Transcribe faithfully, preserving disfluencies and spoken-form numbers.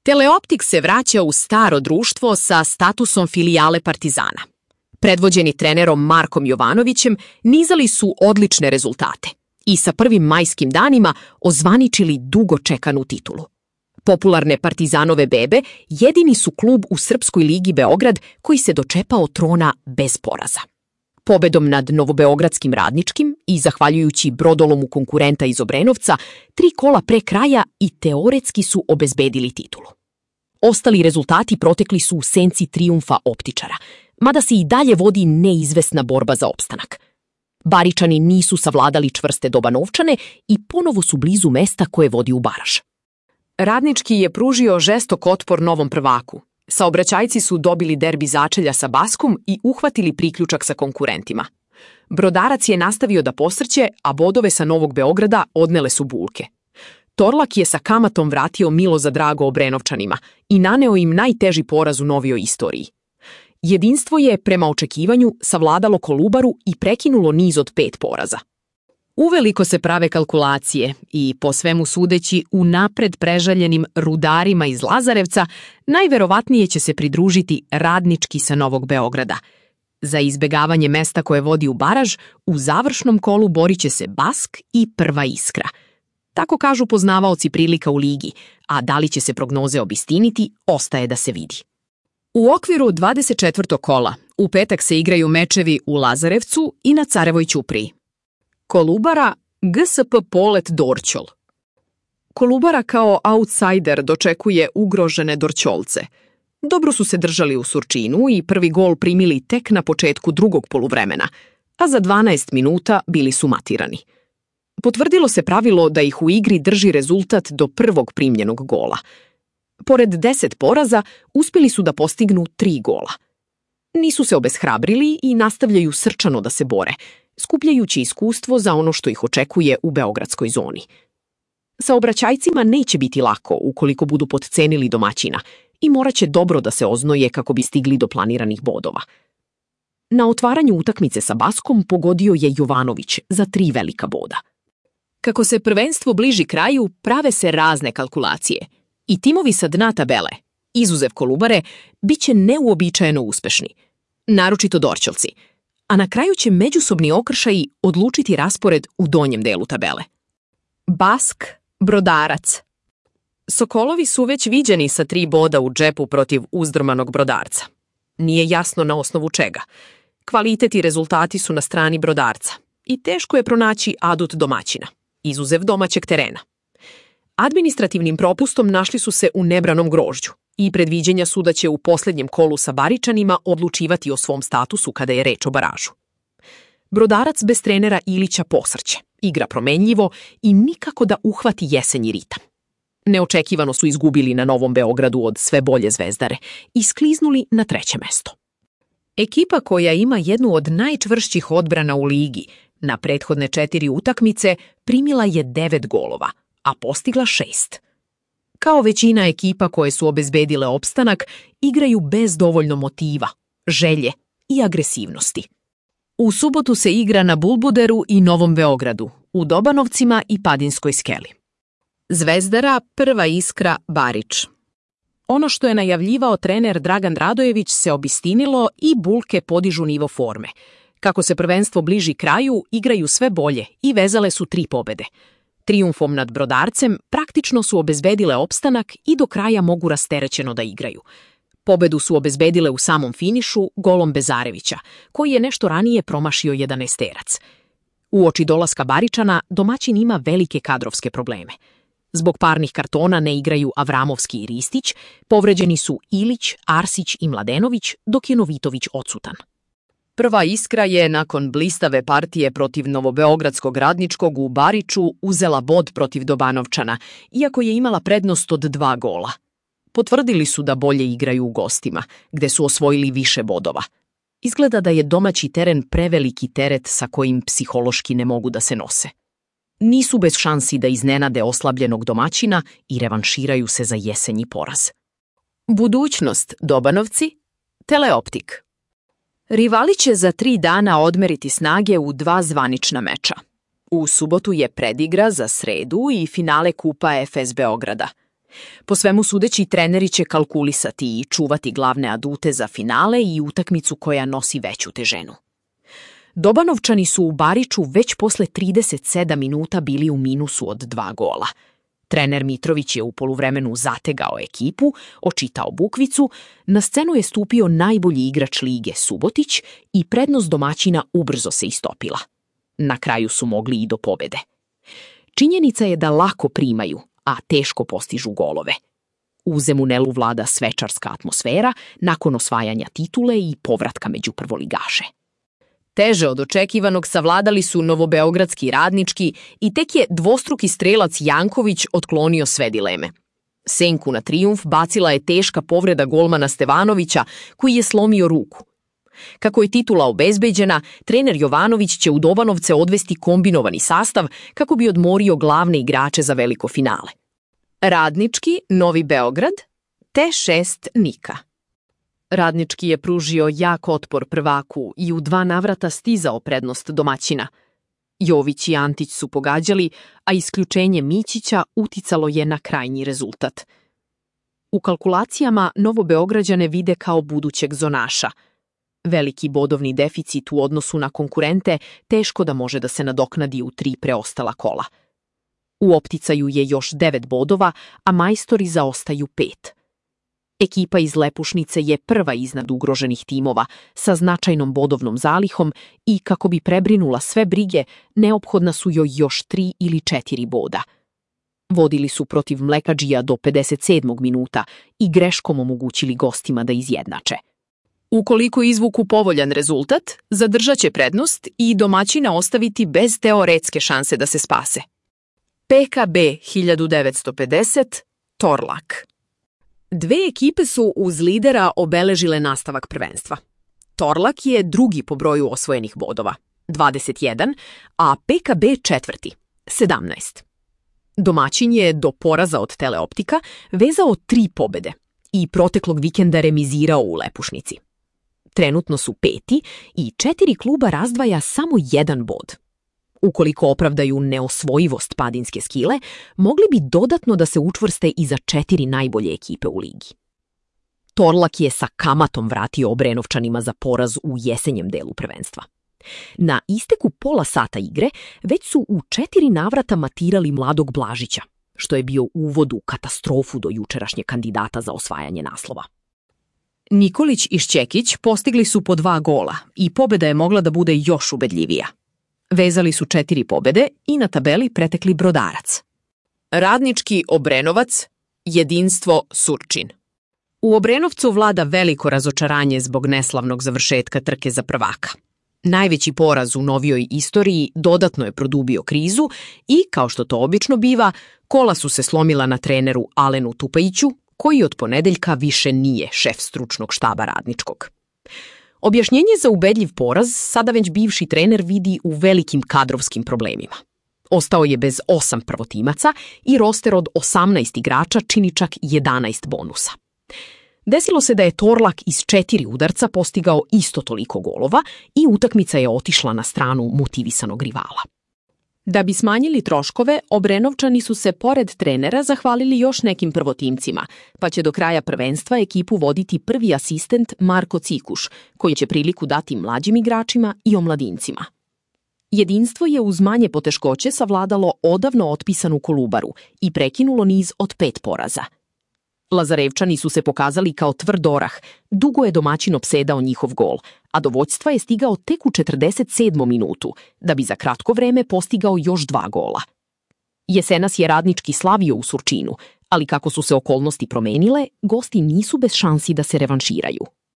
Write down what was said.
Teleoptik se vraća u staro društvo sa statusom filijale Partizana. Predvođeni trenerom Markom Jovanovićem nizali su odlične rezultate i sa prvim majskim danima ozvaničili dugo čekanu titulu. Popularne Partizanove bebe jedini su klub u Srpskoj ligi Beograd koji se dočepao trona bez poraza. Pobedom nad Novobeogradskim Radničkim i zahvaljujući brodolomu konkurenta iz Obrenovca, tri kola pre kraja i teoretski su obezbedili titulu. Ostali rezultati protekli su u senci trijumfa optičara, mada se i dalje vodi neizvesna borba za opstanak. Baričani nisu savladali čvrste Dobanovčane i ponovo su blizu mesta koje vodi u baraž. Radnički je pružio žestok otpor novom prvaku. Saobraćajci su dobili derbi začelja sa Baskom i uhvatili priključak sa konkurentima. Brodarac je nastavio da posrće, a bodove sa Novog Beograda odnele su bulke. Torlak je sa kamatom vratio milo za drago Obrenovčanima i naneo im najteži poraz u novijoj istoriji. Jedinstvo je, prema očekivanju, savladalo Kolubaru i prekinulo niz od pet poraza. Uveliko se prave kalkulacije i, po svemu sudeći, u napred prežaljenim Rudarima iz Lazarevca, najverovatnije će se pridružiti Radnički sa Novog Beograda. Za izbegavanje mesta koje vodi u baraž, u završnom kolu borit će se Bask i Prva Iskra. Tako kažu poznavaoci prilika u ligi, a da li će se prognoze obistiniti, ostaje da se vidi. U okviru dvadeset četvrtog kola u petak se igraju mečevi u Lazarevcu i na Carevoj ćupriji. Kolubara, G S P Polet Dorćol. Kolubara kao outsider dočekuje ugrožene Dorćolce. Dobro su se držali u Surčinu i prvi gol primili tek na početku drugog poluvremena, a za dvanaest minuta bili su matirani. Potvrdilo se pravilo da ih u igri drži rezultat do prvog primljenog gola. Pored deset poraza, uspjeli su da postignu tri gola. Nisu se obeshrabrili i nastavljaju srčano da se bore, skupljajući iskustvo za ono što ih očekuje u beogradskoj zoni. Saobraćajcima neće biti lako ukoliko budu potcenili domaćina i morat će dobro da se oznoje kako bi stigli do planiranih bodova. Na otvaranju utakmice sa Baskom pogodio je Jovanović za tri velika boda. Kako se prvenstvo bliži kraju, prave se razne kalkulacije i timovi sa dna tabele, izuzev Kolubare, bit će neuobičajeno uspešni, naročito Dorćolci, a na kraju će međusobni okršaji odlučiti raspored u donjem delu tabele. Bask, Brodarac. Sokolovi su već viđeni sa tri boda u džepu protiv uzdrmanog Brodarca. Nije jasno na osnovu čega. Kvalitet i rezultati su na strani Brodarca i teško je pronaći adut domaćina, izuzev domaćeg terena. Administrativnim propustom našli su se u nebranom grožđu i predviđenja su da će u posljednjem kolu sa Baričanima odlučivati o svom statusu kada je reč o baražu. Brodarac bez trenera Ilića posrće, igra promenljivo i nikako da uhvati jesenji ritam. Neočekivano su izgubili na Novom Beogradu od sve bolje Zvezdare i skliznuli na treće mesto. Ekipa koja ima jednu od najčvršćih odbrana u ligi, na prethodne četiri utakmice primila je devet golova, a postigla šest. Kao većina ekipa koje su obezbedile opstanak, igraju bez dovoljno motiva, želje i agresivnosti. U subotu se igra na Bulbuderu i Novom Beogradu, u Dobanovcima i Padinskoj skeli. Zvezdara, Prva Iskra, Barič. Ono što je najavljivao trener Dragan Radojević se obistinilo i bulke podižu nivo forme. Kako se prvenstvo bliži kraju, igraju sve bolje i vezale su tri pobede. Trijumfom nad Brodarcem praktično su obezbedile opstanak i do kraja mogu rasterećeno da igraju. Pobedu su obezbedile u samom finišu golom Bezarevića, koji je nešto ranije promašio jedanaesterac. Uoči dolaska Baričana, domaćin ima velike kadrovske probleme. Zbog parnih kartona ne igraju Avramovski i Ristić, povređeni su Ilić, Arsić i Mladenović, dok je Novitović odsutan. Prva Iskra je, nakon blistave partije protiv Novobeogradskog Radničkog u Bariču, uzela bod protiv Dobanovčana, iako je imala prednost od dva gola. Potvrdili su da bolje igraju u gostima, gde su osvojili više bodova. Izgleda da je domaći teren preveliki teret sa kojim psihološki ne mogu da se nose. Nisu bez šansi da iznenade oslabljenog domaćina i revanširaju se za jesenji poraz. Budućnost Dobanovci, Teleoptik. Rivali će za tri dana odmeriti snage u dva zvanična meča. U subotu je predigra za sredu i finale Kupa Efes Beograda. Po svemu sudeći, treneri će kalkulisati i čuvati glavne adute za finale i utakmicu koja nosi veću težinu. Dobanovčani su u Bariču već posle trideset sedam minuta bili u minusu od dva gola. Trener Mitrović je u poluvremenu zategao ekipu, očitao bukvicu, na scenu je stupio najbolji igrač lige Subotić i prednost domaćina ubrzo se istopila. Na kraju su mogli i do pobede. Činjenica je da lako primaju, a teško postižu golove. U Zemunelu vlada svečarska atmosfera nakon osvajanja titule i povratka među prvoligaše. Teže od očekivanog savladali su novobeogradski Radnički i tek je dvostruki strelac Janković otklonio sve dileme. Senku na trijumf bacila je teška povreda golmana Stevanovića, koji je slomio ruku. Kako je titula obezbeđena, trener Jovanović će u Dobanovce odvesti kombinovani sastav kako bi odmorio glavne igrače za veliko finale. Radnički, Novi Beograd, T šest Nika. Radnički je pružio jak otpor prvaku i u dva navrata stizao prednost domaćina. Jović i Antić su pogađali, a isključenje Mićića uticalo je na krajnji rezultat. U kalkulacijama Novobeograđane vide kao budućeg zonaša. Veliki bodovni deficit u odnosu na konkurente teško da može da se nadoknadi u tri preostala kola. U opticaju je još devet bodova, a majstori zaostaju pet. Ekipa iz Lepušnice je prva iznad ugroženih timova sa značajnom bodovnom zalihom i kako bi prebrinula sve brige, neophodna su joj još tri ili četiri boda. Vodili su protiv Mlekadžija do pedeset sedmog minuta i greškom omogućili gostima da izjednače. Ukoliko izvuku povoljan rezultat, zadržat će prednost i domaćina ostaviti bez teoretske šanse da se spase. P K B hiljadu devetsto pedeset, Torlak. Dve ekipe su uz lidera obeležile nastavak prvenstva. Torlak je drugi po broju osvojenih bodova, dvadeset jedan, a P K B četvrti, sedamnaest. Domaćin je do poraza od Teleoptika vezao tri pobede i proteklog vikenda remizirao u Lepušnici. Trenutno su peti i četiri kluba razdvaja samo jedan bod. Ukoliko opravdaju neosvojivost padinske Skile, mogli bi dodatno da se učvrste i za četiri najbolje ekipe u ligi. Torlak je sa kamatom vratio Obrenovčanima za poraz u jesenjem delu prvenstva. Na isteku pola sata igre već su u četiri navrata matirali mladog Blažića, što je bio uvod u katastrofu do jučerašnje kandidata za osvajanje naslova. Nikolić i Šćekić postigli su po dva gola i pobeda je mogla da bude još ubedljivija. Vezali su četiri pobede i na tabeli pretekli Brodarac. Radnički Obrenovac, Jedinstvo Surčin. U Obrenovcu vlada veliko razočaranje zbog neslavnog završetka trke za prvaka. Najveći poraz u novijoj istoriji dodatno je produbio krizu i, kao što to obično biva, kola su se slomila na treneru Alenu Tupajiću, koji od ponedeljka više nije šef stručnog štaba Radničkog. Objašnjenje za ubedljiv poraz sada već bivši trener vidi u velikim kadrovskim problemima. Ostao je bez osam prvotimaca i roster od osamnaest igrača čini čak jedanaest bonusa. Desilo se da je Torlak iz četiri udarca postigao isto toliko golova i utakmica je otišla na stranu motivisanog rivala. Da bi smanjili troškove, Obrenovčani su se pored trenera zahvalili još nekim prvotimcima, pa će do kraja prvenstva ekipu voditi prvi asistent Marko Cikuš, koji će priliku dati mlađim igračima i omladincima. Jedinstvo je uz manje poteškoće savladalo odavno otpisanu Kolubaru i prekinulo niz od pet poraza. Lazarevčani su se pokazali kao tvrd orah, dugo je domaćin opsedao njihov gol, a do vođstva je stigao tek u četrdeset sedmom minutu, da bi za kratko vreme postigao još dva gola. Jesenas je Radnički slavio u Surčinu, ali kako su se okolnosti promenile, gosti nisu bez šansi da se revanširaju.